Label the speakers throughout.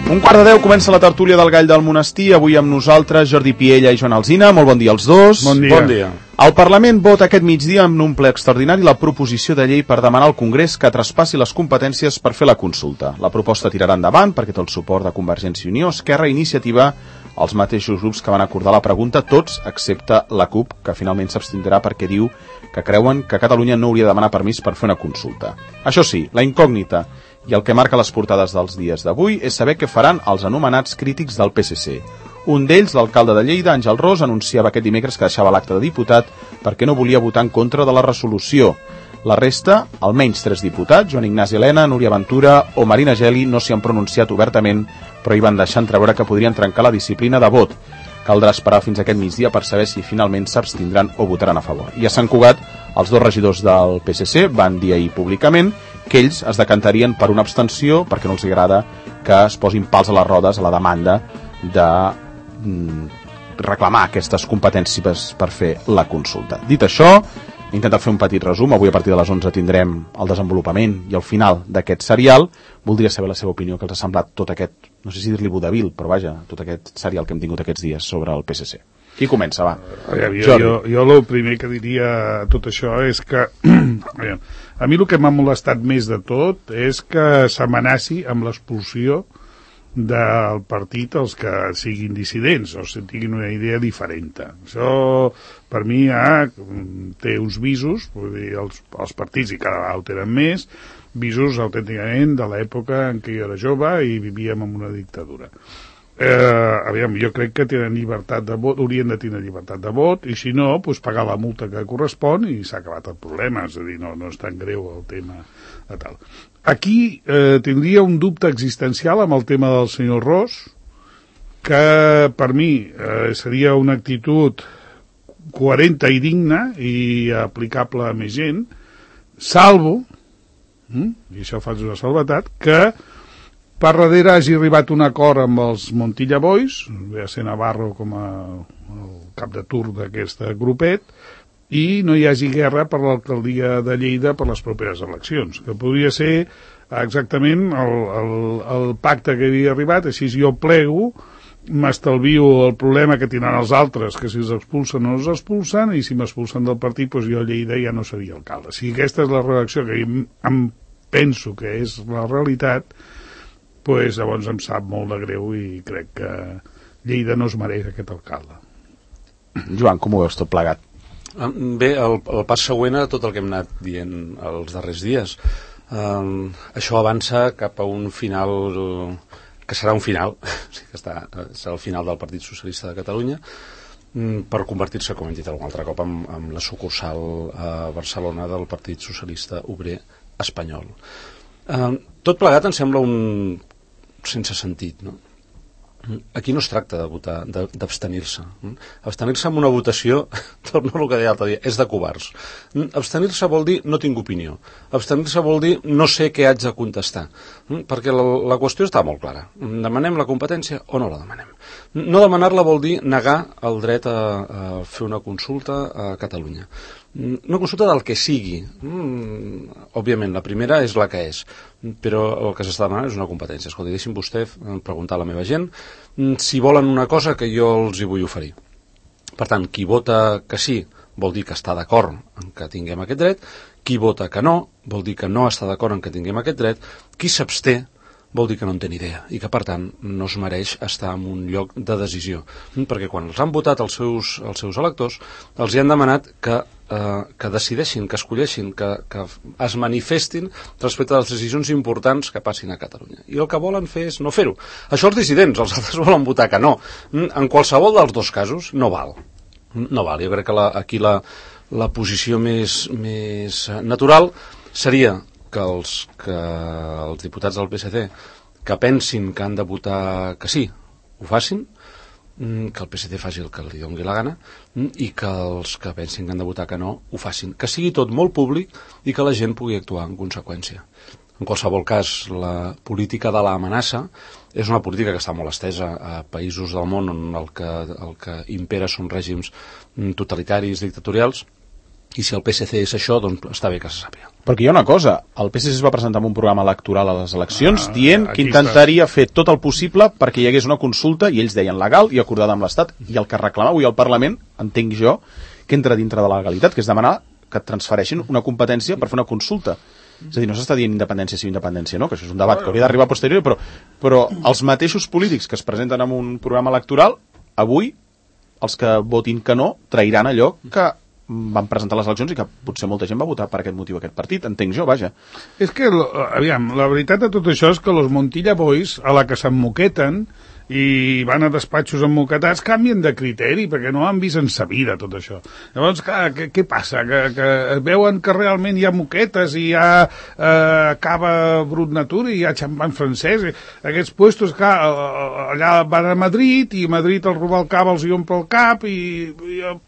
Speaker 1: 1:15 comença la tertúlia del Gall del Monestir. Avui amb nosaltres Jordi Piella i Joan Alsina. Molt bon dia als dos.
Speaker 2: Bon dia.
Speaker 3: Bon dia.
Speaker 1: El Parlament vota aquest migdia en un ple extraordinari la proposició de llei per demanar al Congrés que traspassi les competències per fer la consulta. La proposta tirarà endavant perquè té el suport de Convergència i Unió, Esquerra i Iniciativa, els mateixos grups que van acordar la pregunta, tots excepte la CUP, que finalment s'abstindrà perquè diu que creuen que Catalunya no hauria de demanar permís per fer una consulta. Això sí, la incògnita i el que marca les portades dels dies d'avui és saber què faran els anomenats crítics del PSC. Un d'ells, l'alcalde de Lleida, Àngel Ros, anunciava aquest dimecres que deixava l'acte de diputat perquè no volia votar en contra de la resolució. La resta, almenys 3 diputats, Joan Ignasi Elena, Núria Ventura o Marina Geli, no s'hi han pronunciat obertament, però hi van deixar entreveure que podrien trencar la disciplina de vot. Caldrà esperar fins aquest migdia per saber si finalment s'abstindran o votaran a favor. I a Sant Cugat, els 2 regidors del PSC van dir ahir públicament que ells es decantarien per una abstenció perquè no els agrada que es posin pals a les rodes a la demanda de reclamar aquestes competències per fer la consulta. Dit això, he intentat fer un petit resum. Avui a partir de les 11 tindrem el desenvolupament i el final d'aquest serial. Voldria saber la seva opinió, que els ha semblat tot aquest, no sé si dir-li vodevil, però vaja, tot aquest serial que hem tingut aquests dies sobre el PSC. Qui comença, va?
Speaker 2: Jo el primer que diria a tot això és que a mi el que m'ha molestat més de tot és que s'amenaci amb l'expulsió del partit els que siguin dissidents o tinguin una idea diferent. Això per mi té uns visos, vull dir, els partits, i cada vegada ho tenen més, visos autènticament de l'època en què jo era jove i vivíem en una dictadura. Jo crec que tenen llibertat de vot, haurien de tenir llibertat de vot, i si no, doncs pagar la multa que correspon i s'ha acabat el problema. És a dir, no és tan greu el tema de tal. Aquí tindria un dubte existencial amb el tema del senyor Ros, que per mi seria una actitud coherent i digna i aplicable a més gent, salvo, i això fa una salvetat, que per darrere hagi arribat un acord amb els Montilla Boys, ve a ser Navarro com a el cap de turc d'aquest grupet, i no hi hagi guerra per l'alcaldia de Lleida per les properes eleccions, que podria ser exactament el pacte que havia arribat. Així jo plego, m'estalvio el problema que tindran els altres, que si els expulsen o no els expulsen, i si m'expulsen del partit, doncs jo a Lleida ja no seria alcalde. Si aquesta és la redacció que em penso que és la realitat, doncs llavors em sap molt de greu i crec que Lleida no es mereix aquest alcalde.
Speaker 1: Joan, com ho veus tot plegat?
Speaker 3: Bé, el pas següent a tot el que hem anat dient els darrers dies. Això avança cap a un final que serà un final, serà el final del Partit Socialista de Catalunya, per convertir-se, com hem dit algun altre cop, en la sucursal a Barcelona del Partit Socialista Obrer Espanyol. Tot plegat em sembla un sense sentit, no? Aquí no es tracta de votar, d'abstenir-se. Abstenir-se en una votació, torno al que deia l'altre dia, és de covards. Abstenir-se vol dir no tinc opinió. Abstenir-se vol dir no sé què haig de contestar. Perquè la qüestió està molt clara. Demanem la competència o no la demanem? No demanar-la vol dir negar el dret a fer una consulta a Catalunya. Una consulta del que sigui. Òbviament, la primera és la que és, però el que s'està demanant és una competència. Escolta, deixi'm vostè preguntar a la meva gent si volen una cosa que jo els hi vull oferir. Per tant, qui vota que sí vol dir que està d'acord en que tinguem aquest dret, qui vota que no vol dir que no està d'acord en que tinguem aquest dret, qui s'absté vol dir que no en té ni idea i que, per tant, no es mereix estar en un lloc de decisió. Perquè quan els han votat els seus electors, els hi han demanat que decideixin, que escolleixin, que es manifestin respecte a les decisions importants que passin a Catalunya. I el que volen fer és no fer-ho. Això els dissidents, els altres volen votar que no. En qualsevol dels dos casos no val. No val. Jo crec que aquí la posició més natural seria que els diputats del PSC que pensin que han de votar que sí, ho facin, que el PSC faci el que li doni la gana i que els que pensin que han de votar que no ho facin, que sigui tot molt públic i que la gent pugui actuar en conseqüència. En qualsevol cas, la política de l'amenaça és una política que està molt estesa a països del món on el que impera són règims totalitaris, dictatorials, I si el PSC és això, doncs està bé que se sàpiga.
Speaker 1: Perquè hi ha una cosa, el PSC es va presentar amb un programa electoral a les eleccions dient que intentaria fer tot el possible perquè hi hagués una consulta, i ells deien legal i acordada amb l'Estat, i el que reclama avui el Parlament, entenc jo, que entra dintre de la legalitat, que és demanar que et transfereixin una competència per fer una consulta. És a dir, no s'està dient independència sí o independència, no? Que això és un debat que hauria d'arribar a posteriori, però els mateixos polítics que es presenten en un programa electoral, avui, els que votin que no, trairan allò que van presentar les eleccions i que potser molta gent va votar per aquest motiu aquest partit, entenc jo, vaja.
Speaker 2: És que, aviam, la veritat de tot això és que los Montilla Boys, a la que s'emmoqueten i van a despatxos emmoquetats, canvien de criteri, perquè no han vist en sa vida tot això. Llavors, què passa? Que veuen que realment hi ha moquetes i hi ha cava brut natura i hi ha xampany francès. Aquests puestos, allà van a Madrid i a Madrid el Rubalcaba els hi omple el cap i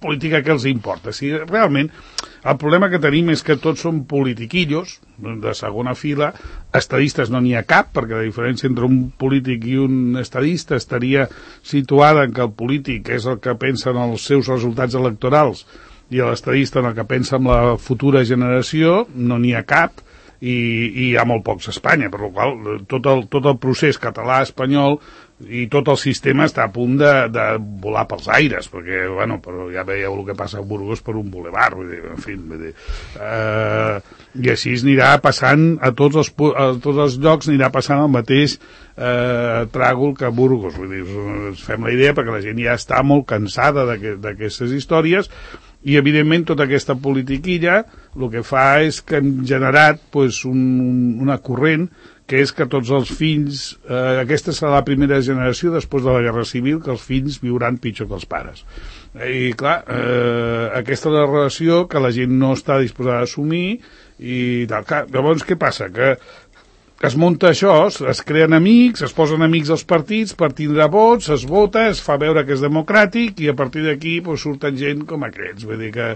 Speaker 2: política que els importa. Si realment el problema que tenim és que tots són politiquillos de segona fila, estadistes no n'hi ha cap, perquè la diferència entre un polític i un estadista estaria situada en que el polític és el que pensa en els seus resultats electorals i l'estadista en el que pensa en la futura generació, no n'hi ha cap, i hi ha molt pocs a Espanya, per la qual tot el procés català-espanyol i tot el sistema està a punt de volar pels aires, perquè, bueno, però ja veieu el que passa a Burgos per un bulevard, vull dir, en fi, i així anirà passant a tots els llocs, anirà passant el mateix tràgol que a Burgos, vull dir, ens fem la idea perquè la gent ja està molt cansada d'aquestes històries, i evidentment tota aquesta politiquilla el que fa és que hem generat pues, una corrent que és que tots els fills, aquesta serà la primera generació després de la Guerra Civil, que els fills viuran pitjor que els pares. I clar, aquesta és la relació que la gent no està disposada a assumir i tal. Clar, llavors què passa? Que es munta això, es creen amics, es posen amics als partits per tindre vots, es vota, es fa veure que és democràtic i a partir d'aquí pues, surten gent com aquests. Vull dir que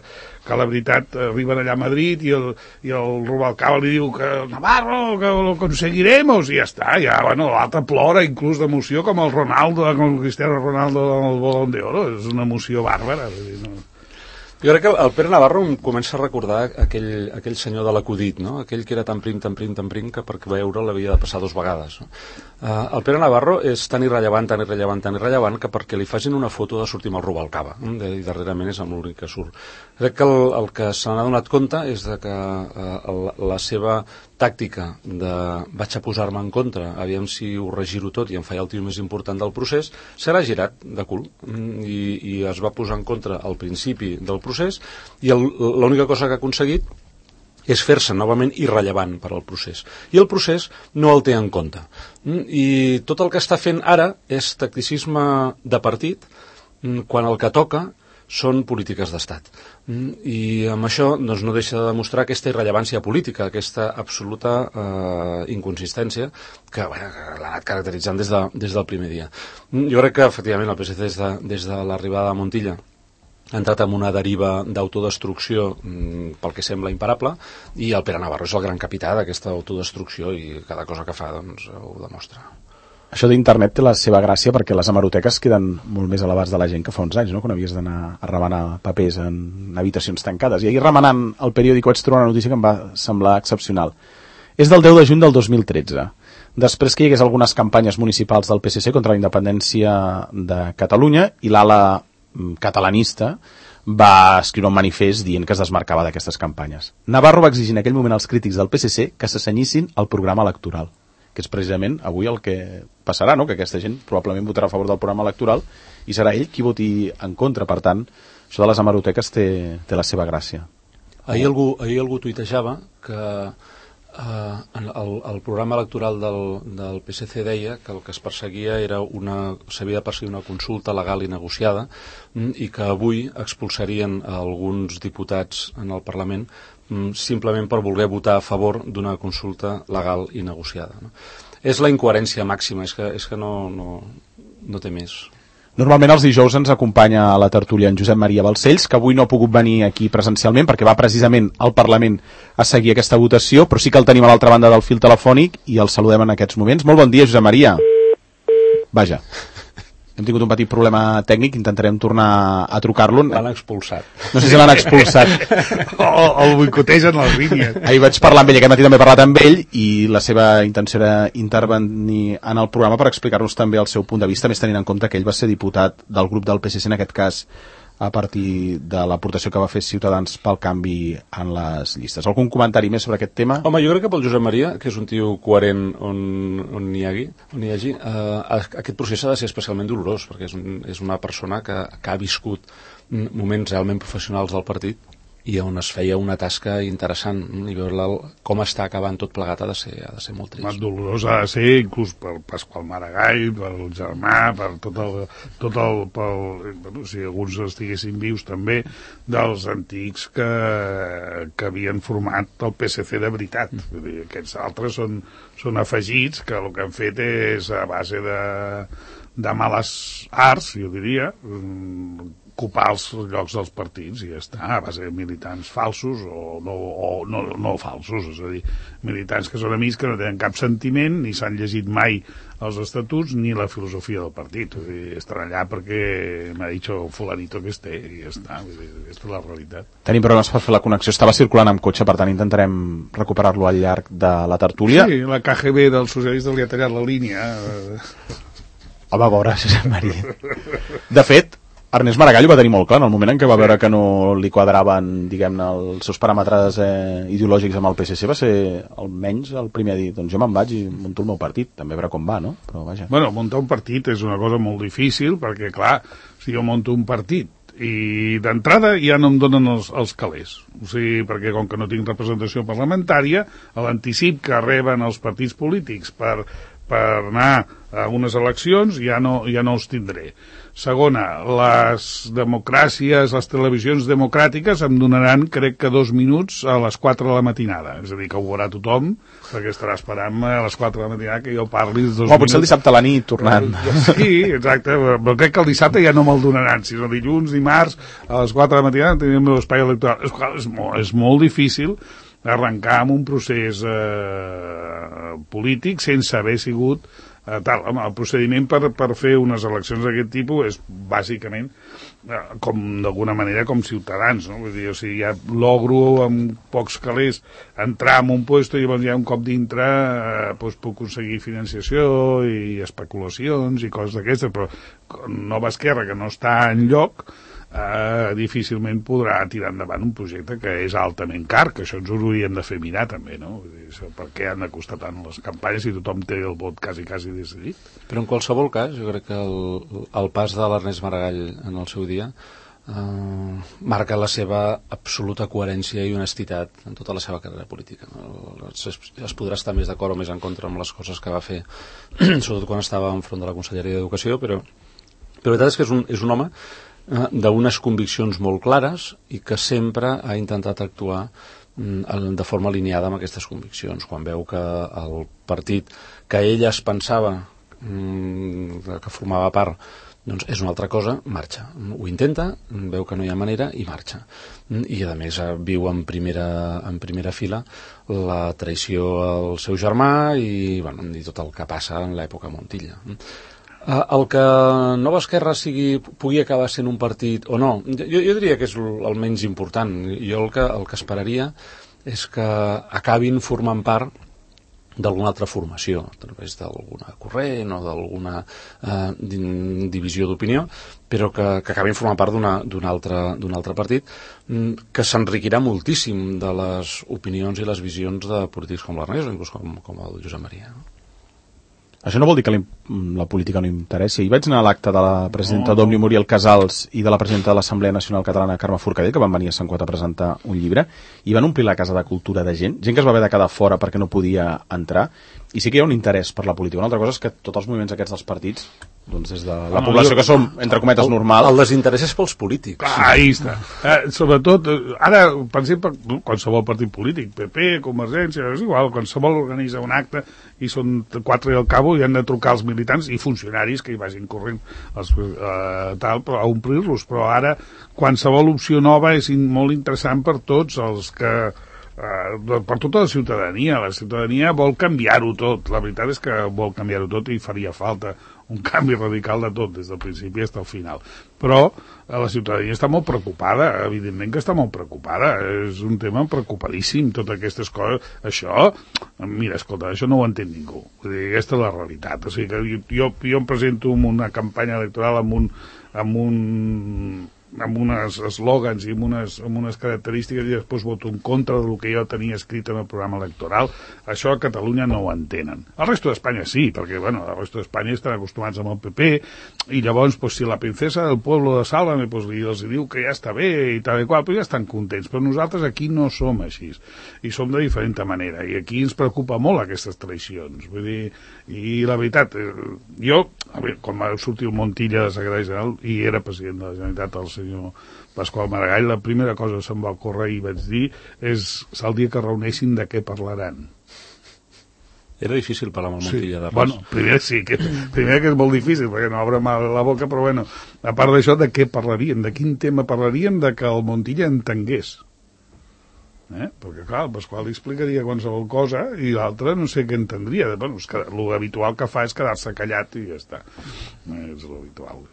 Speaker 2: la veritat arriben allà a Madrid i el Rubalcaba li diu que Navarro, que lo conseguiremos i ja està, ja, bueno, l'altre plora inclús d'emoció com el Ronaldo, com el Cristiano Ronaldo amb el Bolón d'Oro, és una emoció bàrbara, vull dir, no?
Speaker 3: Jo crec que el Pere Navarro em comença a recordar aquell senyor de l'acudit, no? Aquell que era tan prim, que per veure l'havia de passar 2 vegades. No? El Pere Navarro és tan irrellevant que perquè li facin una foto de sortir amb el Rubalcaba, i darrerament és amb l'únic que surt. Crec que el que se n'ha donat compte és de que la seva tàctica de vaig a posar-me en contra, aviam si ho regiro tot i em faig el tio més important del procés, serà girat de cul i es va posar en contra al principi del procés i l'única cosa que ha aconseguit és fer-se novament irrellevant per al procés. I el procés no el té en compte. I tot el que està fent ara és tacticisme de partit quan el que toca són polítiques d'estat. I amb això doncs, no deixa de demostrar aquesta irrellevància política, aquesta absoluta inconsistència que l'ha anat caracteritzant des del primer dia. Jo crec que efectivament el PSC des de l'arribada de Montilla ha entrat en una deriva d'autodestrucció pel que sembla imparable i el Pere Navarro és el gran capità d'aquesta autodestrucció i cada cosa que fa doncs, ho demostra.
Speaker 1: Això d'internet té la seva gràcia perquè les hemeroteques queden molt més a l'abast de la gent que fa uns anys, no? Quan havies d'anar a remenar papers en habitacions tancades. I ahir remenant el periòdic vaig trobar una notícia que em va semblar excepcional. És del 10 de juny del 2013. Després que hi hagués algunes campanyes municipals del PSC contra la independència de Catalunya i l'ala catalanista va escriure un manifest dient que es desmarcava d'aquestes campanyes. Navarro va exigir en aquell moment als crítics del PSC que s'assenyissin al programa electoral, que és precisament avui el que passarà, no? Que aquesta gent probablement votarà a favor del programa electoral i serà ell qui voti en contra. Per tant, això de les hemeroteques té la seva gràcia.
Speaker 3: Ahir algú tuitejava que el programa electoral del PSC deia que el que es perseguia s'havia de perseguir una consulta legal i negociada i que avui expulsarien alguns diputats en el Parlament simplement per voler votar a favor d'una consulta legal i negociada. No? És la incoherència màxima, és que no té més.
Speaker 1: Normalment els dijous ens acompanya a la tertúlia en Josep Maria Balcells, que avui no ha pogut venir aquí presencialment perquè va precisament al Parlament a seguir aquesta votació, però sí que el tenim a l'altra banda del fil telefònic i el saludem en aquests moments. Molt bon dia, Josep Maria. Vaja. Hem tingut un petit problema tècnic, intentarem tornar a trucar-lo.
Speaker 3: L'han expulsat.
Speaker 1: No sé si l'han expulsat.
Speaker 2: o el boicotegen les línies.
Speaker 1: Ahir vaig parlar amb ell, aquest matí també he parlat amb ell, i la seva intenció era intervenir en el programa per explicar-nos també el seu punt de vista, més tenint en compte que ell va ser diputat del grup del PSC, en aquest cas a partir de l'aportació que va fer Ciutadans pel canvi en les llistes. Algun comentari més sobre aquest tema?
Speaker 3: Home, jo crec que pel Josep Maria, que és un tio coherent on hi hagi, aquest procés ha de ser especialment dolorós, perquè és una persona que ha viscut moments realment professionals del partit i on es feia una tasca interessant, i veure com està acabant tot plegat ha de ser molt trist.
Speaker 2: Més dolorós ha de ser inclús per Pasqual Maragall, pel germà, per si alguns estiguessin vius també, dels antics que havien format el PSC de veritat. Vull dir, aquests altres són afegits que el que han fet és a base de males arts, jo diria, ocupar els llocs dels partits i ja està, a base de militants falsos o no falsos, és a dir, militants que són amics que no tenen cap sentiment, ni s'han llegit mai els estatuts ni la filosofia del partit. Vull dir, estan allà perquè m'ha dit fulanito que esté i ja està, vull dir, aquesta és la realitat.
Speaker 1: Tenim problemes per fer la connexió, estava circulant amb cotxe, per tant intentarem recuperar-lo al llarg de la tertúlia.
Speaker 2: Sí, la KGB dels socialistes li ha tallat la línia.
Speaker 1: Home, a veure, Josep Maria. De fet, Ernest Maragall ho va tenir molt clar en el moment en què va veure que no li quadraven, diguem-ne, els seus paràmetres ideològics amb el PSC, va ser almenys el primer a dir, doncs jo me'n vaig i munto el meu partit, també veure com va, no? Però vaja.
Speaker 2: Bueno, muntar un partit és una cosa molt difícil, perquè clar, si jo monto un partit i d'entrada ja no em donen els calés, o sigui, perquè com que no tinc representació parlamentària, a l'anticip que reben els partits polítics per anar a unes eleccions ja no els tindré. Segona, les democràcies, les televisions democràtiques em donaran, crec que 2 minuts a les 4 de la matinada. És a dir, que ho veurà tothom, perquè estarà esperant a les 4 de la matinada que jo parli 2 minuts.
Speaker 1: Potser el dissabte a la nit, tornant.
Speaker 2: Sí, exacte, però crec que el dissabte ja no me'l donaran. Si no dilluns, dimarts, a les 4 de la matinada tenim el meu espai electoral. És molt difícil arrencar amb un procés polític sense haver sigut tal. Home, el procediment per fer unes eleccions d'aquest tipus és bàsicament com d'alguna manera com Ciutadans, no? Vull dir, o sigui, ja logro amb pocs calés entrar en un puesto i llavors ja un cop dintre doncs puc aconseguir financiació i especulacions i coses d'aquestes, però Nova Esquerra, que no està enlloc, difícilment podrà tirar endavant un projecte que és altament car, que això ens ho hauríem de fer mirar també, no? Vull dir, per què han de costar tant les campanyes si tothom té el vot quasi decidit?
Speaker 3: Però en qualsevol cas, jo crec que el pas de l'Ernest Maragall en el seu dia marca la seva absoluta coherència i honestitat en tota la seva carrera política. Es podrà estar més d'acord o més en contra amb les coses que va fer, sobretot quan estava enfront de la Conselleria d'Educació, però la veritat és que és un home d'unes conviccions molt clares i que sempre ha intentat actuar de forma alineada amb aquestes conviccions. Quan veu que el partit que ell es pensava que formava part doncs és una altra cosa, marxa. Ho intenta, veu que no hi ha manera i marxa. I a més viu en primera fila la traïció al seu germà i tot el que passa en l'època Montilla. El que Nova Esquerra pugui acabar sent un partit o no, jo diria que és el menys important. Jo el que esperaria és que acabin formant part d'alguna altra formació, a través d'alguna corrent o d'alguna divisió d'opinió, però que acabin formant part d'un altre partit que s'enriquirà moltíssim de les opinions i les visions de polítics com l'Ernest o inclús com el Josep Maria.
Speaker 1: Això no vol dir que la política no interessi. Hi vaig anar a l'acte de la presidenta d'Òmnium, Muriel Casals, i de la presidenta de l'Assemblea Nacional Catalana, Carme Forcadell, que van venir a Sant Cugat a presentar un llibre, i van omplir la casa de cultura de gent que es va haver de quedar fora perquè no podia entrar, i sí que hi ha un interès per la política. Una altra cosa és que tots els moviments aquests dels partits, doncs des de la població que som, entre cometes, normal...
Speaker 3: El desinterès és pels polítics.
Speaker 2: Ahí està. Sobretot, ara, per exemple, qualsevol partit polític, PP, Convergència, és igual, qualsevol organitza un acte i són 4 i al cabo i han de trucar els militants i funcionaris que hi vagin corrent a omplir-los, però ara qualsevol opció nova és molt interessant per tots els que per tota la ciutadania vol canviar-ho tot. La veritat és que vol canviar-ho tot i faria falta un canvi radical de tot, des del principi fins al final. Però la ciutadania està molt preocupada, evidentment que està molt preocupada, és un tema preocupadíssim, totes aquestes coses. Això, mira, escolta, això no ho entén ningú. Vull dir, aquesta és la realitat. O sigui que jo em presento en una campanya electoral amb uns eslògans i amb unes característiques i després voto en contra del que jo tenia escrit en el programa electoral. Això a Catalunya no ho entenen. El resto d'Espanya sí, perquè bueno, el resto d'Espanya estan acostumats amb el PP i llavors pues, si la princesa del pueblo de Sálvame pues, els diu que ja està bé i tal i qual, però ja estan contents. Però nosaltres aquí no som així i som de diferent manera i aquí ens preocupa molt aquestes traïcions. Vull dir, i la veritat, jo, quan va sortir el Montilla de secretari general i era president de la Generalitat, el senyor Pasqual Maragall, la primera cosa que se'm va ocórrer i vaig dir és el dia que reuneixin de què parlaran.
Speaker 3: Era difícil parlar amb el Montilla de res.
Speaker 2: Bueno, primer que és molt difícil perquè no obre mal la boca, però bueno, a part d'això, de què parlarien? De quin tema parlarien? De que el Montilla entengués. Perquè clar, el Pasqual li explicaria qualsevol cosa i l'altre no sé què entendria. Bueno, l'habitual que fa és quedar-se callat i ja està. És l'habitual.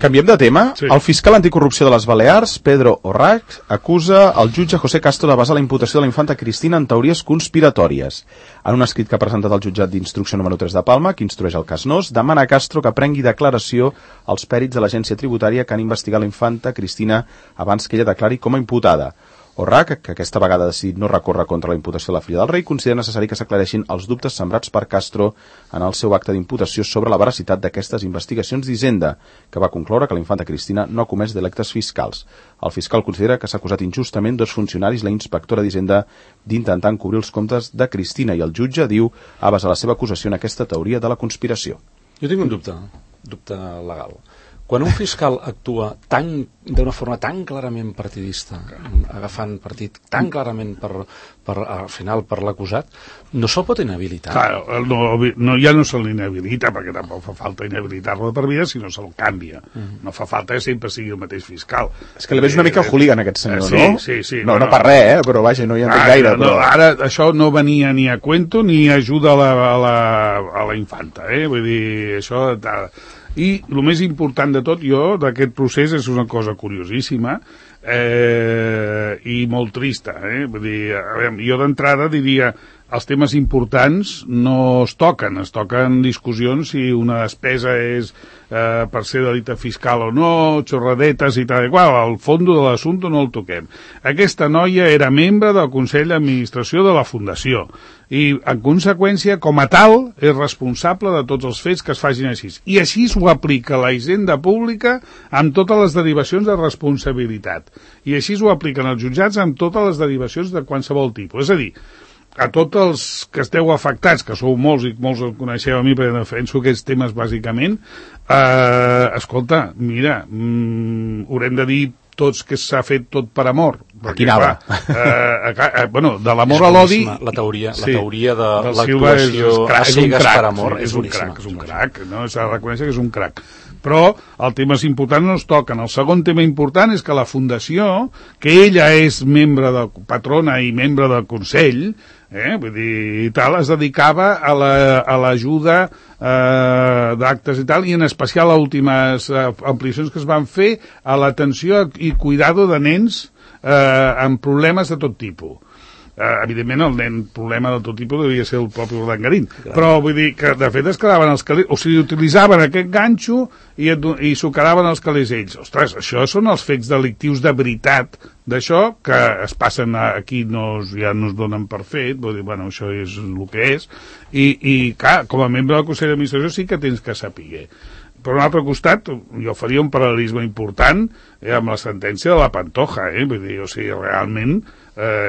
Speaker 1: Canviem de tema.
Speaker 2: Sí.
Speaker 1: El fiscal anticorrupció de les Balears, Pedro Orrac, acusa el jutge José Castro de basar la imputació de la infanta Cristina en teories conspiratòries. En un escrit que ha presentat el jutjat d'instrucció número 3 de Palma, que instrueix el cas Nos, demana a Castro que prengui declaració als pèrits de l'agència tributària que han investigat la infanta Cristina abans que ella declari com a imputada. Orrac, que aquesta vegada ha decidit no recórrer contra la imputació de la filla del rei, considera necessari que s'aclareixin els dubtes sembrats per Castro en el seu acte d'imputació sobre la veracitat d'aquestes investigacions d'Hisenda, que va concloure que la infanta Cristina no ha comès delictes fiscals. El fiscal considera que s'ha acusat injustament dos funcionaris, la inspectora d'Hisenda, d'intentar encobrir els comptes de Cristina, i el jutge, diu, ha basat la seva acusació en aquesta teoria de la conspiració.
Speaker 3: Jo tinc un dubte legal. Quan un fiscal actua d'una forma tan clarament partidista, agafant partit tan clarament al final per l'acusat, no se'l pot inhabilitar.
Speaker 2: Clar, ja no se l'inhabilita, perquè tampoc fa falta inhabilitar-lo de per vida, sinó se'l canvia. No fa falta que sempre sigui el mateix fiscal.
Speaker 1: És que li veig una mica hooligan, aquest senyor, no?
Speaker 2: Sí.
Speaker 1: No per res, però vaja, no hi entenc gaire.
Speaker 2: Ara això no venia ni a cuento ni ajuda a la infanta, Vull dir, això... I el més important de tot, d'aquest procés, és una cosa curiosíssima i molt trista. Vull dir, jo d'entrada diria, els temes importants no es toquen discussions si una despesa és per ser delicte fiscal o no, xorradetes i tal i qual, al fons de l'assumpte no el toquem. Aquesta noia era membre del Consell d'Administració de la Fundació i, en conseqüència, com a tal, és responsable de tots els fets que es facin així. I així ho aplica la Hisenda Pública amb totes les derivacions de responsabilitat. I així ho apliquen els jutjats amb totes les derivacions de qualsevol tipus. És a dir, a tots els que esteu afectats, que sou molts i molts el coneixeu a mi perquè defenso aquests temes bàsicament, escolta, mira, haurem de dir tots que s'ha fet tot per amor.
Speaker 1: A quina hora?
Speaker 2: Bueno, de l'amor a l'odi...
Speaker 3: La teoria de l'actuació a cegues per amor és boníssima.
Speaker 2: És un crac, no? S'ha de reconèixer que és un crac. Però els temes importants no es toquen. El segon tema important és que la Fundació, que ella és membre de patrona i membre del Consell, vull dir, tal, es dedicava a l'ajuda d'actes i tal, i en especial a últimes ampliacions que es van fer a l'atenció i cuidado de nens amb problemes de tot tipus. Evidentment el nen problema de tot tipus devia ser el propi Urdangarín, però vull dir que de fet es quedaven els calés, o sigui, utilitzaven aquest ganxo i s'ho quedaven els calés ells. Ostres, això són els fets delictius de veritat d'això que es passen aquí, ja no es donen per fet, vull dir, bueno, això és el que és, i clar, com a membre del Consell d'Administració sí que tens que saber. Per un altre costat, jo faria un paral·lelisme important amb la sentència de la Pantoja, vull dir, o sigui, realment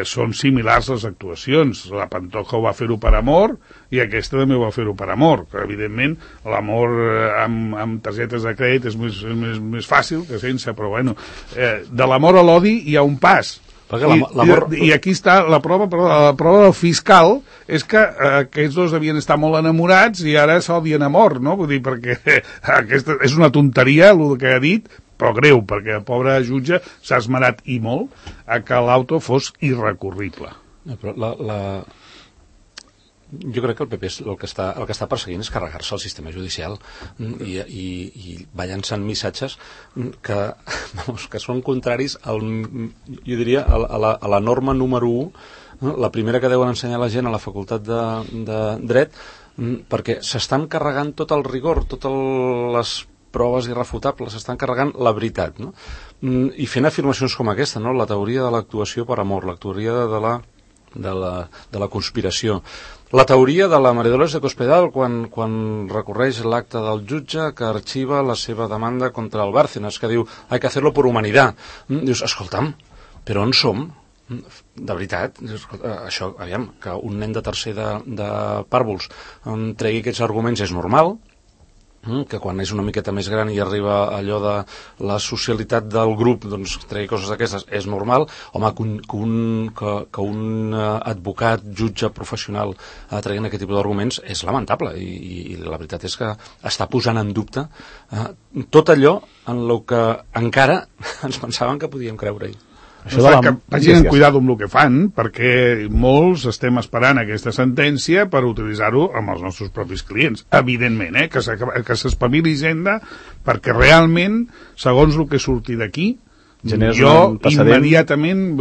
Speaker 2: són similars les actuacions. La Pantoja ho va fer-ho per amor i aquesta també ho va fer-ho per amor, que evidentment l'amor amb targetes de crèdit és més fàcil que sense, però bueno, de l'amor a l'odi hi ha un pas. I aquí està la prova del fiscal és que aquests dos devien estar molt enamorats i ara s'odien a mort, no? Vull dir, perquè aquesta és una tonteria el que ha dit, però greu, perquè el pobre jutge s'ha esmerat i molt a que l'auto fos irrecurrible.
Speaker 3: Però Jo crec que el PP el que està perseguint és carregar-se el sistema judicial i va llançant missatges que són contraris jo diria a la norma número 1, la primera que deuen ensenyar la gent a la facultat de dret, perquè s'estan carregant tot el rigor, totes les proves irrefutables, s'estan carregant la veritat, no? I fent afirmacions com aquesta, no? La teoria de l'actuació per amor, la teoria de la conspiració, la teoria de la María Dolores de Cospedal quan recorreix l'acte del jutge que arxiva la seva demanda contra el Bárcenas, que diu hay que hacerlo por humanidad. Dius, escolta'm, però on som? De veritat, això, aviam, que un nen de tercer de pàrvuls tregui aquests arguments és normal, que quan és una miqueta més gran i arriba allò de la socialitat del grup, doncs tregui coses d'aquestes és normal. Home, que un advocat, jutge professional treguin aquest tipus d'arguments és lamentable i la veritat és que està posant en dubte tot allò en el que encara ens pensaven que podíem creure-hi.
Speaker 2: Que vagin en cuidado amb el que fan, perquè molts estem esperant aquesta sentència per utilitzar-ho amb els nostres propis clients. Evidentment, que s'espavili Hisenda, perquè realment, segons el que surti d'aquí, jo immediatament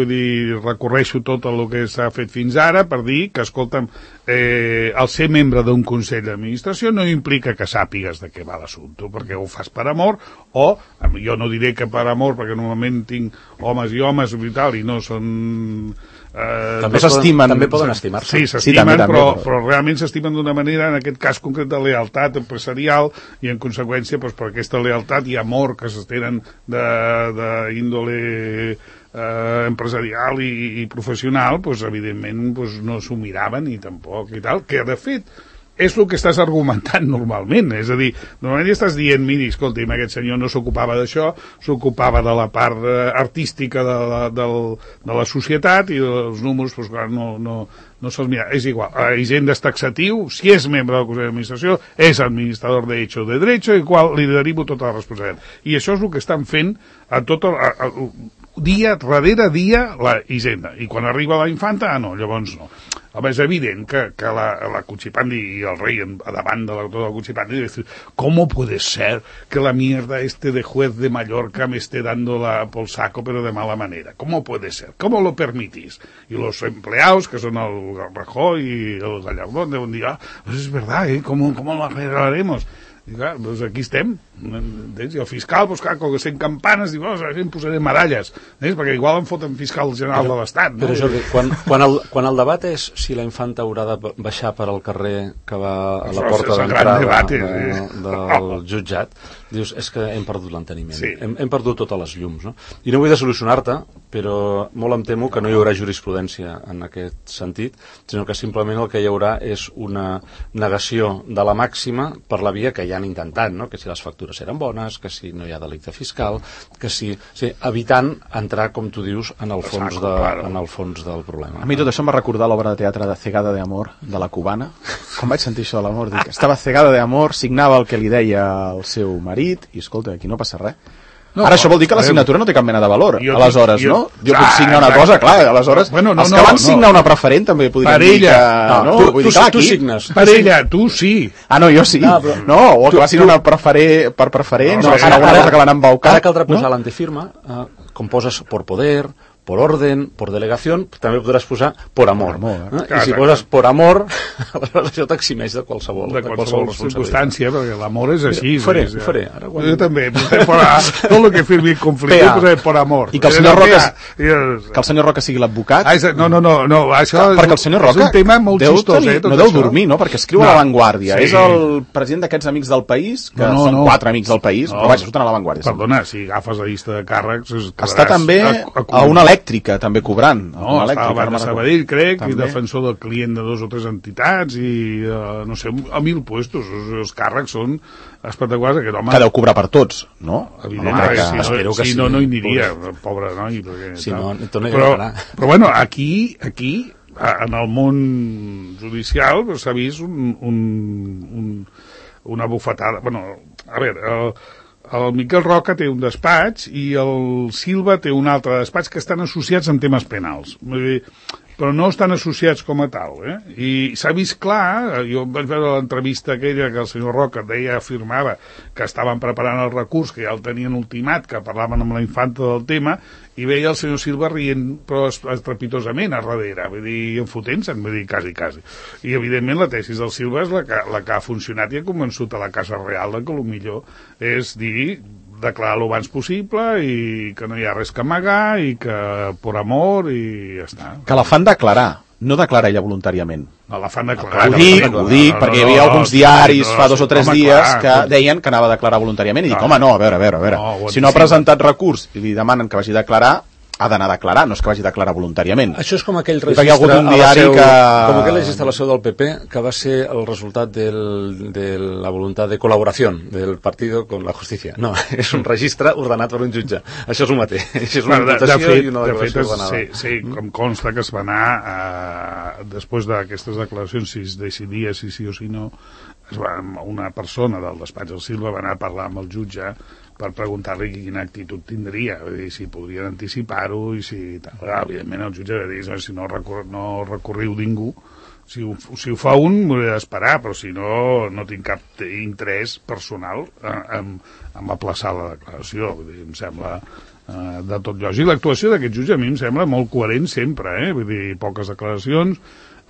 Speaker 2: recorreixo tot el que s'ha fet fins ara per dir que, escolta'm, el ser membre d'un consell d'administració no implica que sàpigues de què va l'assumpte, perquè ho fas per amor, o jo no diré que per amor, perquè normalment tinc homes i homes i tal, i no són...
Speaker 3: també poden estimar-se.
Speaker 2: Sí, s'estimen, però realment s'estimen d'una manera, en aquest cas concret de lealtat empresarial, i en conseqüència, doncs, per aquesta lealtat i amor que s'estenen d'índole empresarial i professional, doncs, evidentment no s'ho miraven i tampoc i tal, que de fet és el que estàs argumentant normalment, és a dir, normalment estàs dient, miri, escolti'm, aquest senyor no s'ocupava d'això, s'ocupava de la part artística de la societat i els números, doncs clar, no se'ls mira. És igual, Hisenda és taxatiu, si és membre del Consell d'Administració, és administrador de hecho de derecho, i qual li derivo tota la responsabilitat. I això és el que estan fent a tot dia darrere dia la Hisenda. I quan arriba la infanta, no, llavors no. Home, és evident que la Cuchipandi y el rey davant de todo la Cuchipandi dice, ¿cómo puede ser que la mierda de juez de Mallorca me esté dando por saco pero de mala manera? ¿Cómo puede ser? ¿Cómo lo permitís? Y los empleados, que son el Rajoy y el Gallardón, deuen dir, pues es verdad, ¿cómo lo arreglaremos? I clar, doncs aquí estem, i el fiscal, doncs clar, com que sent campanes, diu, em posaré medalles, perquè igual em foten fiscal general de l'Estat.
Speaker 3: Però Jordi, quan el debat és si la infanta haurà de baixar per al carrer que va a la porta d'entrada del jutjat, dius, és que hem perdut l'enteniment, sí. Hem perdut totes les llums, no? I no vull de solucionar-te, però molt em temo que no hi haurà jurisprudència en aquest sentit, sinó que simplement el que hi haurà és una negació de la màxima per la via que ja han intentat, no? Que si les factures eren bones, que si no hi ha delicte fiscal, que si evitant entrar, com tu dius, en el fons del problema.
Speaker 1: A mi tot això em va recordar l'obra de teatre de Cegada de Amor, de la cubana. Quan vaig sentir això de l'amor, dic, estava cegada de amor, signava el que li deia el seu marit, i escolta, aquí no passa res. No, ara això vol dir que la signatura no té cap mena de valor, aleshores, no? Jo puc signar una cosa, clar, aleshores els que van signar una preferent també podrien dir que...
Speaker 3: Tu signes.
Speaker 2: Per ella, tu sí.
Speaker 1: Ah, no, jo sí. No, o el que va signar una per preferent, o alguna cosa que l'han embaucat.
Speaker 3: Ara caldrà posar l'antefirma, com poses por poder, por orden, por delegación, també podràs posar por amor. I si poses por amor, això t'eximeix de qualsevol
Speaker 2: circumstància, perquè l'amor és així.
Speaker 3: Ho faré.
Speaker 2: Jo també, tot el que firmi conflicte posaré por amor.
Speaker 1: I que el senyor Roca sigui l'advocat?
Speaker 2: No, això
Speaker 1: perquè el senyor Roca
Speaker 2: és un tema molt xistós.
Speaker 1: No deu dormir, no? Perquè escriu a La Vanguardia. És el president d'aquests amics del país, que són 4 amics del país, però vaja, surten a La Vanguardia.
Speaker 2: Perdona, si agafes la llista de càrrecs...
Speaker 1: Està també a una elèctrica, també cobrant.
Speaker 2: No, estava a Sabadell, crec, i defensor del client de 2 o 3 entitats, i no sé, a 1.000 puestos. Els càrrecs són espectaculars.
Speaker 1: Que deu cobrar per tots, no?
Speaker 2: Evidentment, si no, no hi aniria, pobre noi. Però bueno, aquí, en el món judicial, s'ha vist una bufetada. Bueno, a veure... El Miquel Roca té un despatx i el Silva té un altre despatx que estan associats en temes penals. però no estan associats com a tal, I s'ha vist clar, jo vaig veure l'entrevista aquella que el senyor Roca afirmava que estaven preparant el recurs, que ja el tenien ultimat, que parlaven amb la infanta del tema, i veia el senyor Silva rient, però estrepitosament a darrere, vull dir, enfotent-se'n, vull dir, quasi. I, evidentment, la tesis del Silva és la que ha funcionat i ha convençut a la Casa Real que el millor és dir, declarar lo abans possible i que no hi ha res que amagar i que per amor i ja està.
Speaker 1: Que la fan declarar, no declara ella voluntàriament.
Speaker 2: La fan declarar.
Speaker 1: Ho dic, perquè hi havia alguns diaris fa 2 o 3 dies que deien que anava a declarar voluntàriament i dic, home, no, a veure. Si no ha presentat recurs i li demanen que vagi a declarar, ha d'anar a declarar, no és que vagi a declarar voluntàriament.
Speaker 3: Això és com aquell registre com aquell registre a la seu del PP que va ser el resultat de la voluntat de col·laboració del partit con la justícia. No, és un registre ordenat per un jutge. Això és el mateix. Això és una imputació i una declaració ordenada.
Speaker 2: Sí, com consta que es va anar, després d'aquestes declaracions, si es decidia si sí o si no, una persona del despatx del Silva va anar a parlar amb el jutge per preguntar-li quina actitud tindria, dir, si podrien anticipar-ho i si... Evidentment el jutge va dir, si no recorriu ningú, si ho fa un m'hauré d'esperar, però si no, no tinc cap interès personal en aplaçar la declaració. Vull dir, em sembla de tot lògic. L'actuació d'aquest jutge a mi em sembla molt coherent sempre, vull dir, poques declaracions,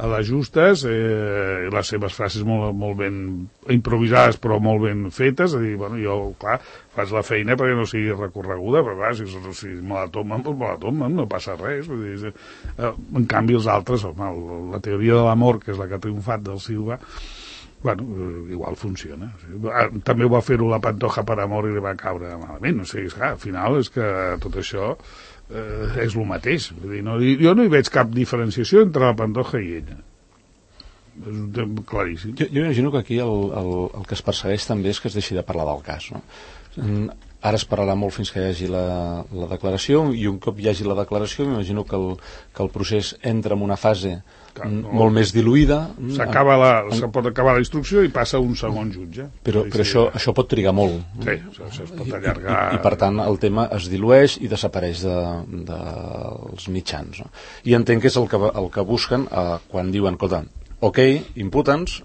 Speaker 2: a les justes, les seves frases molt ben improvisades però molt ben fetes, a dir, bueno, jo, clar, faig la feina perquè no sigui recorreguda, però clar, si me la tomen, doncs me la tomen, no passa res. Vull dir, en canvi els altres, la teoria de l'amor, que és la que ha triomfat del Silva, bueno, igual funciona. També ho va fer-ho la Pantoja per amor i li va caure malament, no sé, al final és que tot això és el mateix. Vull dir, jo no hi veig cap diferenciació entre la Pantoja i ella. És un tema claríssim.
Speaker 3: Jo imagino que aquí el que es persegueix també és que es deixi de parlar del cas, no? Ara es parlarà molt fins que hi hagi la declaració, i un cop hi hagi la declaració m'imagino que el procés entra en una fase molt més diluïda.
Speaker 2: Se pot acabar la instrucció i passa un segon jutge.
Speaker 3: Però això pot trigar molt.
Speaker 2: Sí, això es pot allargar.
Speaker 3: I per tant el tema es dilueix i desapareix dels mitjans. No? I entenc que és el que busquen quan diuen, escolta, ok, imputa'ns,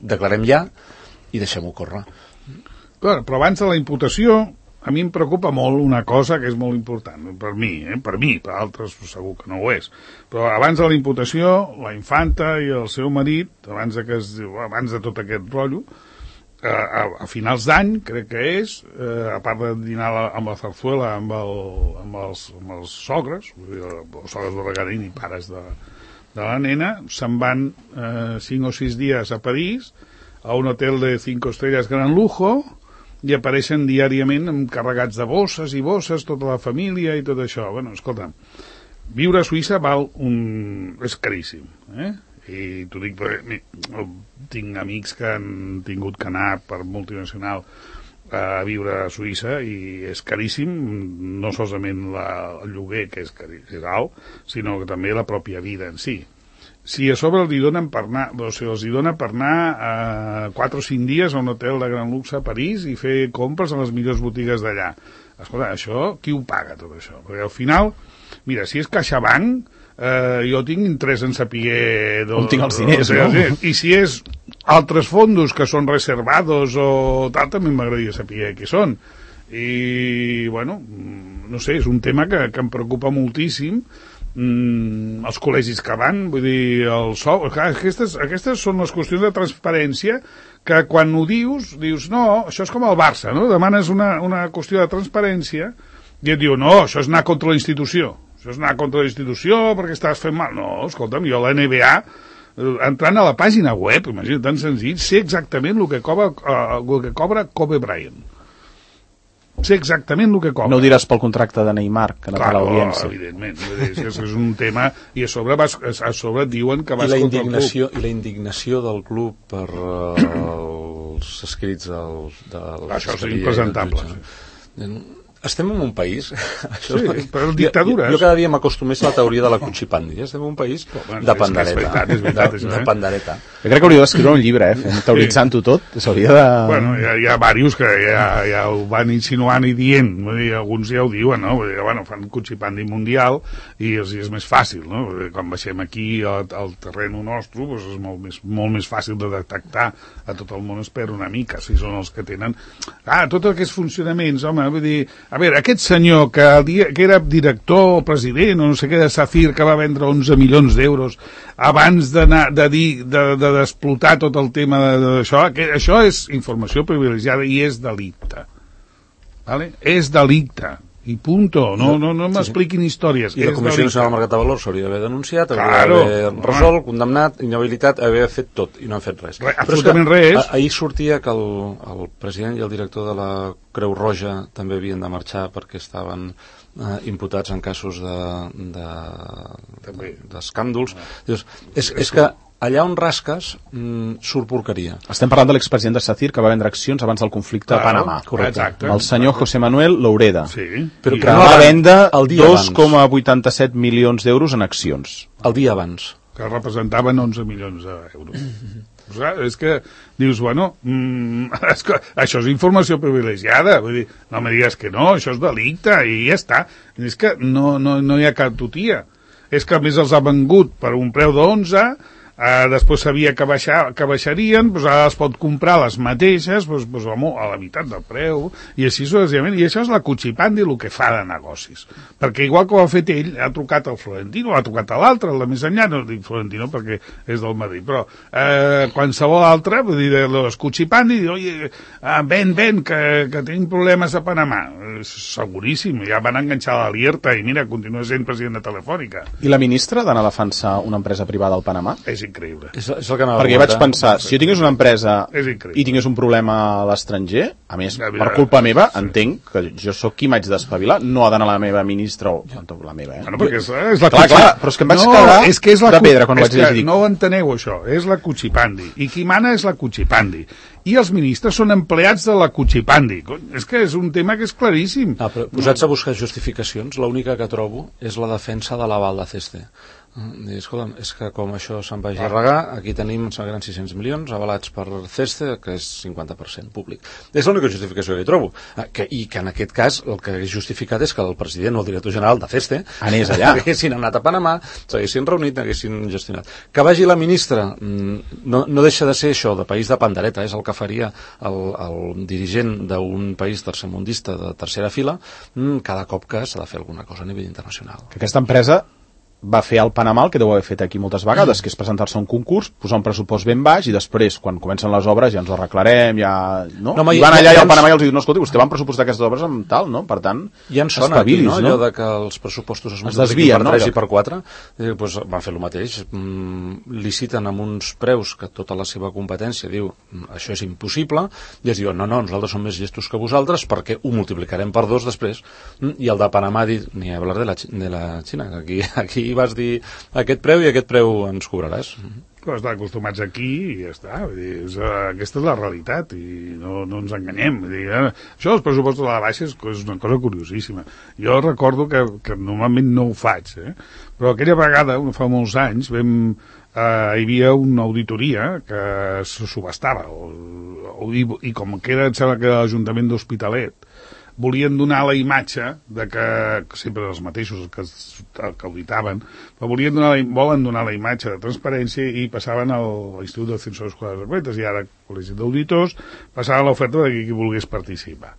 Speaker 3: declarem ja i deixem-ho córrer.
Speaker 2: Clar, però abans de la imputació, a mi em preocupa molt una cosa que és molt important, per mi, per altres segur que no ho és. Però abans de la imputació, la infanta i el seu marit, abans de tot aquest rotllo, a finals d'any, crec que és, a part de dinar amb la Zarzuela, amb els sogres, els sogres de Regarín i pares de la nena, se'n van 5 o 6 dies a París, a un hotel de 5 estrelles gran lujo, i apareixen diàriament carregats de bosses i bosses, tota la família i tot això. Bueno, escolta, viure a Suïssa és caríssim, I t'ho dic perquè tinc amics que han tingut que anar per multinacional a viure a Suïssa i és caríssim, no solament el lloguer, que és alt, sinó que també la pròpia vida en si. Si a sobre els hi donen per anar, els hi dona per anar a 4 o 5 dies a un hotel de gran luxe a París i fer compres a les millors botigues d'allà. Escolta, això, qui ho paga tot això? Perquè al final, mira, si és CaixaBank, jo tinc interès en saber
Speaker 1: on tinc els diners, no?
Speaker 2: I si és altres fondos que són reservados o tal, també m'agradaria saber què són. I, bueno, no sé, és un tema que em preocupa moltíssim. Els col·legis que van, vull dir, aquestes són les qüestions de transparència que quan ho dius, no, això és com el Barça, no? Demanes una qüestió de transparència i et diu, no, això és anar contra la institució, perquè estàs fent mal. No, escolta'm, jo a la NBA, entrant a la pàgina web, imagina't, tan senzill, sé exactament el que cobra Kobe Bryant. Sé exactament el que cobra.
Speaker 1: No ho diràs pel contracte de Neymar, que no té l'audiència.
Speaker 2: Evidentment, és un tema, i a sobre diuen que vas contra el club.
Speaker 3: I la indignació del club per els escrits
Speaker 2: això és impresentable.
Speaker 3: Estem en un país...
Speaker 2: Sí, però dictadures.
Speaker 3: Jo cada dia m'acostumés a la teoria de la cuchipandi. Estem en un país de pandereta.
Speaker 2: És veritat,
Speaker 3: de pandereta.
Speaker 1: Jo crec que hauria d'escriure un llibre, teoritzant-ho tot. S'hauria de...
Speaker 2: Bueno, hi ha diversos que ja ho van insinuant i dient. Vull dir, alguns ja ho diuen, no? Vull dir, bueno, fan cuchipandi mundial i els és més fàcil, no? Quan baixem aquí al terreno nostre, doncs és molt més fàcil de detectar a tot el món, es perd una mica, si són els que tenen... tots aquests funcionaments, home, vull dir... A veure, aquest senyor que era director o president o no sé què de SACIR, que va vendre 11 milions d'euros abans d'explotar tot el tema d'això, això és informació privilegiada i és delicte. Vale? És delicte. I punto. No m'expliquin històries.
Speaker 3: I la Comissió Nacional del Mercat de Valors s'hauria d'haver denunciat, hauria d'haver resolt, condemnat, inhabilitat, haver fet tot, i no han fet res.
Speaker 2: Absolutament res.
Speaker 3: Ahir sortia que el president i el director de la Creu Roja també havien de marxar perquè estaven imputats en casos d'escàndols. És que allà on rasques surt porqueria.
Speaker 1: Estem parlant de l'expresident de SACIR que va vendre accions abans del conflicte a Panamà.
Speaker 2: Correcte.
Speaker 1: El senyor José Manuel Loureda.
Speaker 2: Sí.
Speaker 1: Però que va vendre 2,87 milions d'euros en accions.
Speaker 3: El dia abans.
Speaker 2: Que representaven 11 milions d'euros. És que dius, bueno, això és informació privilegiada, vull dir, no me digues que no, això és delicte i ja està. És que no hi ha cap tutia. És que a més els ha vengut per un preu d'11, després sabia que baixarien, doncs ara es pot comprar les mateixes a la meitat del preu, i així successivament. I això és la cuchipandi, el que fa de negocis. Perquè igual que ho ha fet ell, ha trucat al Florentino, ha trucat a l'altre, el de més enllà, no dic Florentino perquè és del Madrid, però qualsevol altre, vull dir, les cuchipandi, oye, ven, que tenim problemes a Panamà. Seguríssim, ja van enganxar l'Alierta i mira, continua sent president de Telefònica.
Speaker 1: I la ministra d'anar a defensar una empresa privada al Panamà?
Speaker 2: És increïble.
Speaker 3: És el que
Speaker 1: perquè vaig pensar, si jo tingués una empresa i tingués un problema a l'estranger, a més, per culpa meva, entenc que jo sóc qui m'haig d'espavilar, no ha d'anar la meva ministra o la meva,
Speaker 2: Bueno, perquè és la
Speaker 1: clar, però és que em vaig quedar de pedra quan ho vaig llegir.
Speaker 2: No ho enteneu, això. És la cuchipandi. I qui mana és la cuchipandi. I els ministres són empleats de la cuchipandi. És que és un tema que és claríssim.
Speaker 3: Però posats a buscar justificacions, l'única que trobo és la defensa de l'aval de CESTE. Escolta'm, és que com això se'n vagi a regar, aquí tenim 600 milions avalats per CESTE, que és 50% públic. És l'única justificació que hi trobo. I que en aquest cas el que és justificat és que el president o el director general de CESTE
Speaker 1: anés allà,
Speaker 3: haguessin anat a Panamà, s'haguessin reunit, haguessin gestionat. Que vagi la ministra no deixa de ser això, de país de pandereta, és el que faria el dirigent d'un país tercermundista de tercera fila cada cop que s'ha de fer alguna cosa a nivell internacional.
Speaker 1: Que aquesta empresa va fer al Panamà el que deu haver fet aquí moltes vegades, que és presentar-se a un concurs, posar un pressupost ben baix i després, quan comencen les obres, ja ens ho arreglarem, no I van allà i al Panamà i els diuen, no, escolta, vostè van pressupostar aquestes obres amb tal, no? Per tant,
Speaker 3: ja ens sona aquí, no? Allò de que els pressupostos es multipliquen per 3 i per 4, doncs van fer el mateix, liciten amb uns preus que tota la seva competència diu, això és impossible, i es diuen, no, nosaltres som més llestos que vosaltres perquè ho multiplicarem per 2 després, i el de Panamà ha dit, ni hablar de la Xina, aquí vas dir aquest preu i aquest preu ens cobraràs.
Speaker 2: Però estan acostumats aquí i ja està. Vull dir, aquesta és la realitat i no ens enganyem. Vull dir, això dels pressupostos a la baixa és una cosa curiosíssima. Jo recordo que normalment no ho faig, però aquella vegada, fa molts anys, hi havia una auditoria que se subestava i com que era, em sembla que l'Ajuntament d'Hospitalet volien donar la imatge de que sempre els mateixos que auditaven, però volen donar la imatge de transparència i passaven a l'Institut de Censors Escolars Secretes i ara al Col·legi d'Auditors passaven l'oferta de qui volgués participar.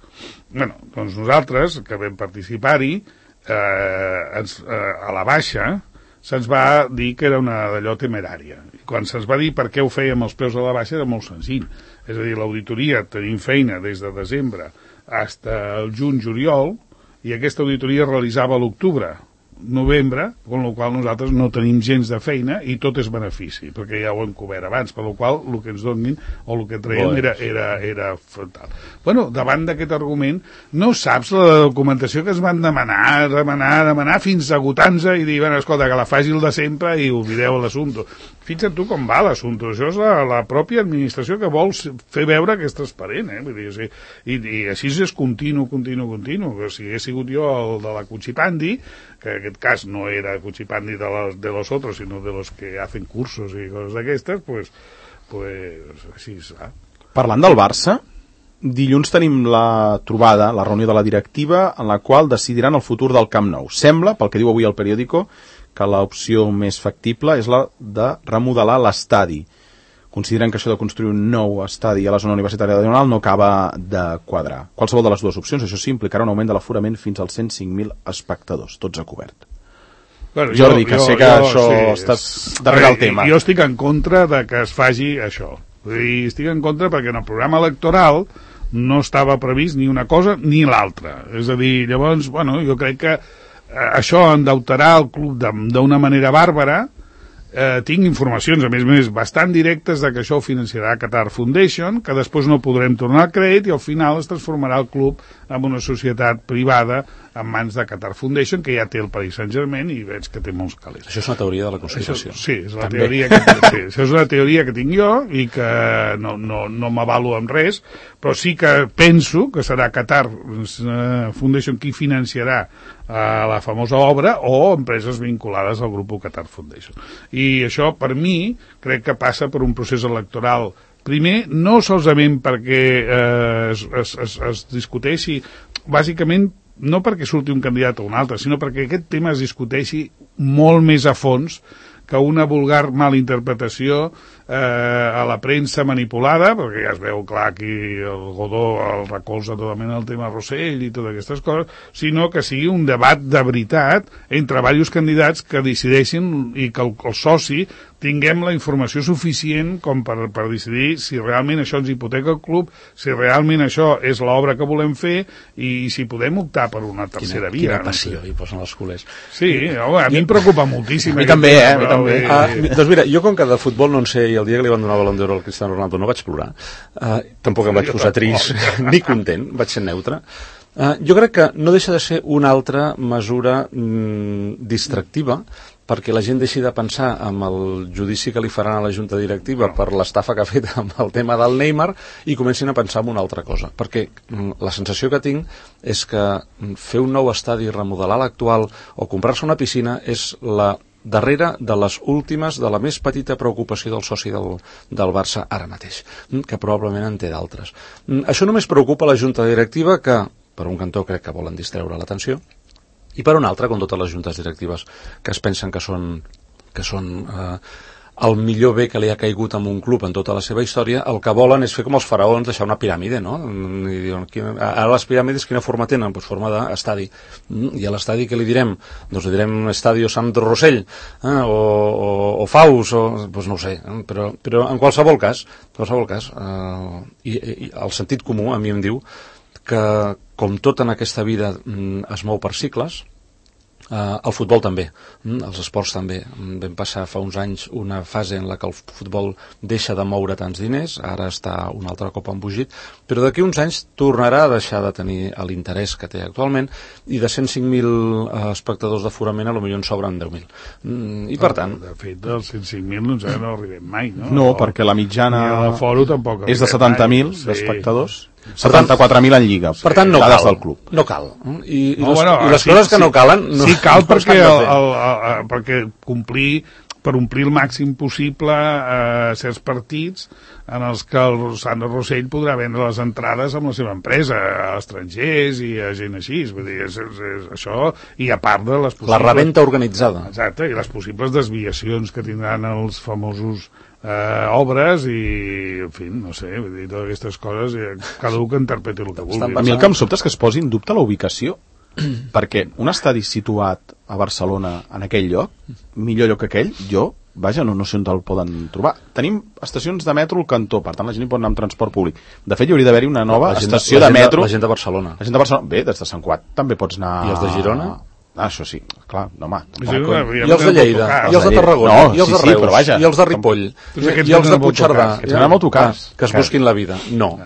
Speaker 2: Bueno, doncs nosaltres que vam participar-hi a la baixa se'ns va dir que era una d'allò temerària. I quan se'ns va dir per què ho fèiem els preus a la baixa era molt senzill. És a dir, l'auditoria tenim feina des de desembre fins al juny-juliol i aquesta auditoria es realitzava a l'octubre. novembre, amb la qual nosaltres no tenim gens de feina i tot és benefici, perquè ja ho hem cobert abans, per la qual el que ens donin o el que traiem era fatal. Bueno, davant d'aquest argument, no saps la documentació que es van demanar fins a agotar-se i dir, bueno, escolta, que la faci el de sempre i oblideu l'assumpte. Fixa't tu com va l'assumpte. Això és la pròpia administració que vol fer veure que és transparent, Vull dir, o sigui, i així és continu. Que si hagués sigut jo el de la Cuchipandi, que en aquest cas no era Cuchipandi de los otros, sinó de los que hacen cursos i coses d'aquestes, pues així serà.
Speaker 1: Parlant del Barça, dilluns tenim la trobada, la reunió de la directiva, en la qual decidiran el futur del Camp Nou. Sembla, pel que diu avui el periòdico, que l'opció més factible és la de remodelar l'estadi. Consideren que això de construir un nou estadi a la zona universitària de Diagonal no acaba de quadrar. Qualsevol de les dues opcions, això sí, implicarà un augment de l'aforament fins als 105.000 espectadors, tots a cobert.
Speaker 2: Bueno,
Speaker 1: Jordi, que sé que això estàs darrere el tema.
Speaker 2: Jo estic en contra de que es faci això. I estic en contra perquè en el programa electoral no estava previst ni una cosa ni l'altra. És a dir, llavors, bueno, jo crec que això endeutarà el club d'una manera bàrbara. Tinc informacions, a més, bastant directes de que això ho financiarà Qatar Foundation, que després no podrem tornar al crèdit i al final es transformarà el club en una societat privada en mans de Qatar Foundation, que ja té el Paris Saint-Germain i veig que té molts calés.
Speaker 3: Això és una teoria de la conspiració.
Speaker 2: Sí, és la teoria això és una teoria que tinc jo i que no m'avalo amb res, però sí que penso que serà Qatar Foundation qui financiarà la famosa obra o empreses vinculades al grup Qatar Foundation. I això, per mi, crec que passa per un procés electoral. Primer, no solament perquè es discuteixi, bàsicament, no perquè surti un candidat o un altre, sinó perquè aquest tema es discuteixi molt més a fons que una vulgar malinterpretació a la premsa manipulada, perquè ja es veu clar aquí el Godó el recolza totalment el tema Rossell i totes aquestes coses, sinó que sigui un debat de veritat entre diversos candidats que decideixin i que el soci tinguem la informació suficient com per decidir si realment això ens hipoteca el club, si realment això és l'obra que volem fer i si podem optar per una tercera via.
Speaker 3: Quina passió hi posen els culers.
Speaker 2: Sí, a mi em preocupa moltíssim.
Speaker 1: A mi també, a mi també.
Speaker 3: Doncs mira, jo com que de futbol no en sé i el dia que li van donar el Balón d'Or al Cristiano Ronaldo no vaig plorar, tampoc em vaig posar trist ni content, vaig ser neutre. Jo crec que no deixa de ser una altra mesura distractiva perquè la gent deixi de pensar en el judici que li faran a la junta directiva per l'estafa que ha fet amb el tema del Neymar i comencin a pensar en una altra cosa, perquè la sensació que tinc és que fer un nou estadi, remodelar l'actual o comprar-se una piscina és la darrere de les últimes, de la més petita preocupació del soci del Barça ara mateix, que probablement en té d'altres. Això només preocupa la junta directiva que, per un cantó, crec que volen distreure l'atenció, i per un altre, com totes les juntes directives que es pensen que són el millor bé que li ha caigut a un club en tota la seva història, el que volen és fer com els faraons, deixar una piràmide, no? I diuen, ara les piràmides quina forma tenen? Doncs forma d'estadi. I a l'estadi què li direm? Doncs li direm Estadio Sandro Rossell, o Faus, doncs no ho sé, però en qualsevol cas, i el sentit comú a mi em diu que com tot en aquesta vida es mou per cicles, el futbol també, els esports també. Vam passar fa uns anys una fase en la que el futbol deixa de moure tants diners, ara està un altre cop embogit, però d'aquí uns anys tornarà a deixar de tenir l'interès que té actualment i de 105.000 espectadors d'aforament a lo millor en sobren 10.000. I per tant...
Speaker 2: De fet, dels 105.000 no arribem mai, no?
Speaker 1: No, perquè la mitjana és de 70.000 d'espectadors. 74.000 en Lliga.
Speaker 3: Per tant, no cal. Del club. No cal. I les coses que no calen...
Speaker 2: Sí cal perquè per omplir el màxim possible certs partits en els que el Sandro Rossell podrà vendre les entrades amb la seva empresa a estrangers i a gent així. Vull dir, és això, i a part de les possibles...
Speaker 3: La rebenta organitzada.
Speaker 2: Exacte, i les possibles desviacions que tindran els famosos obres i, en fi, no sé, vull dir, totes aquestes coses, cada un que interpreti el que vulgui.
Speaker 1: A mi el que em sobta és que es posi en dubte la ubicació, perquè un estadi situat a Barcelona en aquell lloc, millor lloc que aquell, vaja, no sé on el poden trobar. Tenim estacions de metro al cantó, per tant la gent hi pot anar amb transport públic. De fet, hi hauria d'haver-hi una nova estació de metro.
Speaker 3: La gent de Barcelona.
Speaker 1: La gent de Barcelona, bé, des de Sant Cugat també pots anar...
Speaker 3: I els de Girona?
Speaker 1: Això sí, clar, no, home.
Speaker 3: I els de Lleida, i els de Tarragona, i els de Reus, i els de Ripoll, i els de Puigcerdà,
Speaker 1: que tenen autocars,
Speaker 3: que es busquin la vida. No,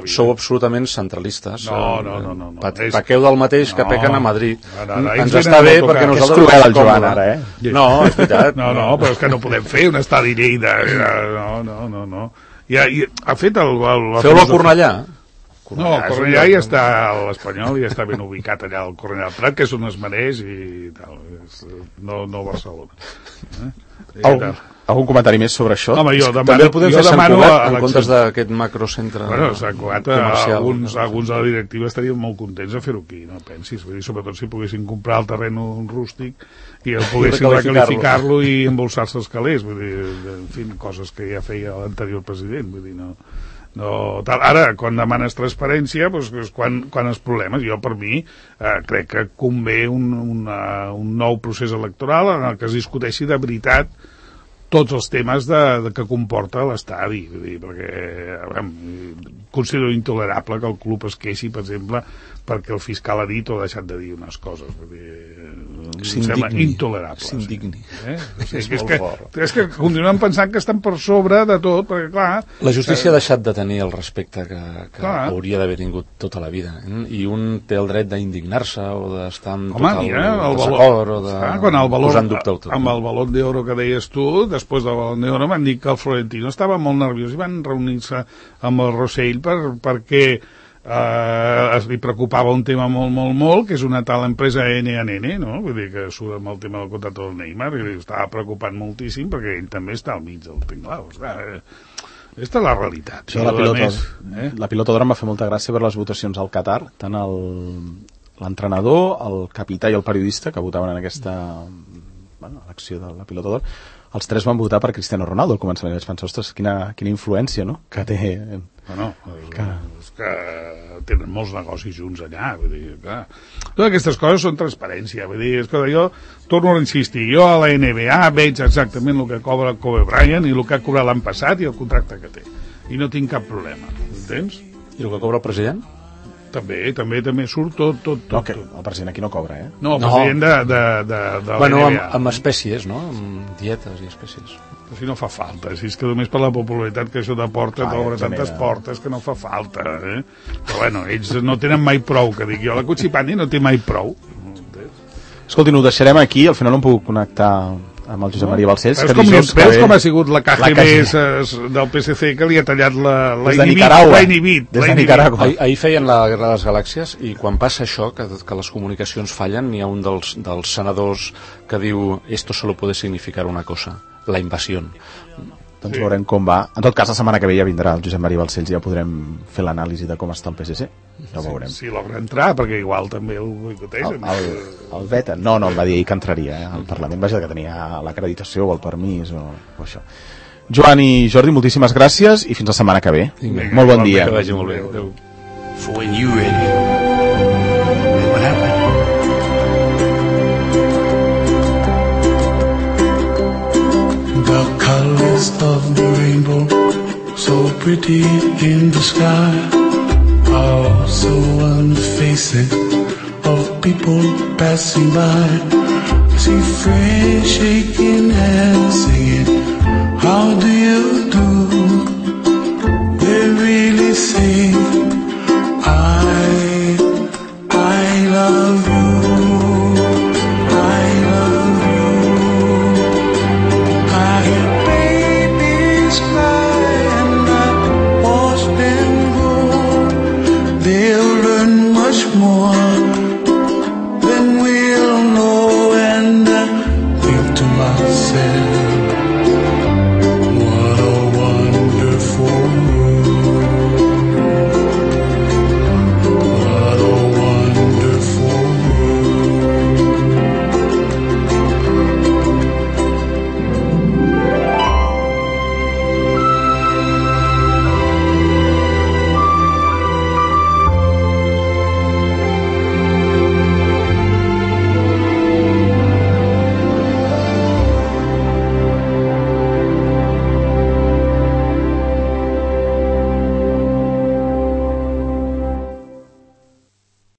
Speaker 3: sou absolutament centralistes.
Speaker 2: No.
Speaker 3: Paqueu del mateix que pequen a Madrid. Ens està bé perquè nosaltres...
Speaker 1: És cruel el Joan, ara,
Speaker 3: No, és veritat.
Speaker 2: No, però és que no podem fer un estadi Lleida. No. Ha fet el...
Speaker 3: Feu-lo a Cornellà.
Speaker 2: No, Cornellà ja està a l'Espanyol, ja està ben ubicat allà al Cornellà del Prat, que és on es mereix i tal. No Barcelona.
Speaker 1: Algun comentari més sobre això?
Speaker 2: Home,
Speaker 3: també el podem fer Sant Cugat en comptes d'aquest macrocentre
Speaker 2: Sant Cugat, alguns de la directiva estarien molt contents de fer-ho aquí, no pensis, vull dir, sobretot si poguessin comprar el terreny rústic i el poguessin recalificar-lo i embolsar-se els calés, vull dir, en fi, coses que ja feia l'anterior president, vull dir, no tal. Ara, quan demanes transparència, doncs és quan els problemes. Jo, per mi, crec que convé un nou procés electoral en el que es discuteixi de veritat tots els temes que comporta l'estadi, perquè considero intolerable que el club es queixi, per exemple, perquè el fiscal ha dit o ha deixat de dir unes coses. Em sembla intolerable.
Speaker 1: S'indigni.
Speaker 2: És que continuem pensant que estan per sobre de tot, perquè clar...
Speaker 3: La justícia ha deixat de tenir el respecte que hauria d'haver tingut tota la vida, i un té el dret d'indignar-se o d'estar en total desacord o de posar en dubte tot.
Speaker 2: Amb el Balón d'Oro que deies tu, després del Balón d'Oro van dir que el Florentino estava molt nerviós i van reunir-se amb el Rossell perquè li preocupava un tema molt, que és una tal empresa NNN, no? Vull dir que surt amb el tema del contracte del Neymar, i estava preocupant moltíssim perquè ell també està al mig del tinglao. Aquesta és la realitat.
Speaker 1: La pilota d'or em va fer molta gràcia per les votacions al Qatar, tant l'entrenador, el capità i el periodista que votaven en aquesta elecció de la pilota d'or. Els tres van votar per Cristiano Ronaldo al començament. Vaig pensar, ostres, quina influència, no?, que té...
Speaker 2: és que tenen molts negocis junts allà, vull dir, clar. Totes aquestes coses són transparència, vull dir, és que jo torno a insistir, jo a la NBA veig exactament el que cobra Kobe Bryant i el que ha cobrat l'any passat i el contracte que té, i no tinc cap problema, entens?
Speaker 3: I el que cobra el president?
Speaker 2: També surt tot.
Speaker 1: No, que el president aquí no cobra,
Speaker 2: No, el president de la NBA.
Speaker 3: Amb espècies, no? Amb dietes i espècies.
Speaker 2: Però si no fa falta, si és que només per la popularitat que això t'aporta, t'obre tantes portes que no fa falta, Però bueno, ells no tenen mai prou, que dic jo, la Cucipani no té mai prou.
Speaker 1: Escolti, ho deixarem aquí, al final no em puc connectar amb el Josep Maria Balcells.
Speaker 2: Veus com ha sigut la KGB del PSC que li ha tallat l'ha inhibit.
Speaker 1: Des de Nicaragua.
Speaker 3: Ahir feien la Guerra de les Galàxies i quan passa això, que les comunicacions fallen, hi ha un dels senadors que diu esto solo puede significar una cosa, la invasión.
Speaker 1: Doncs veurem com va. En tot cas, la setmana que ve ja vindrà el Josep Maria Balcells i ja podrem fer l'anàlisi de com està el PSC. Ja ho veurem.
Speaker 2: Si logra entrar, perquè igual també el boicotegen.
Speaker 1: El veta? No, em va dir ahir que entraria al Parlament. Vaja, que tenia l'acreditació o el permís o això. Joan i Jordi, moltíssimes gràcies i fins la setmana que ve. Molt bon dia.
Speaker 3: Que vagi molt bé. Adéu.
Speaker 4: For when you ready. What happened? The colors of the rainbow, so pretty in the sky, are also on the faces of people passing by. I see friends shaking hands, singing, how do you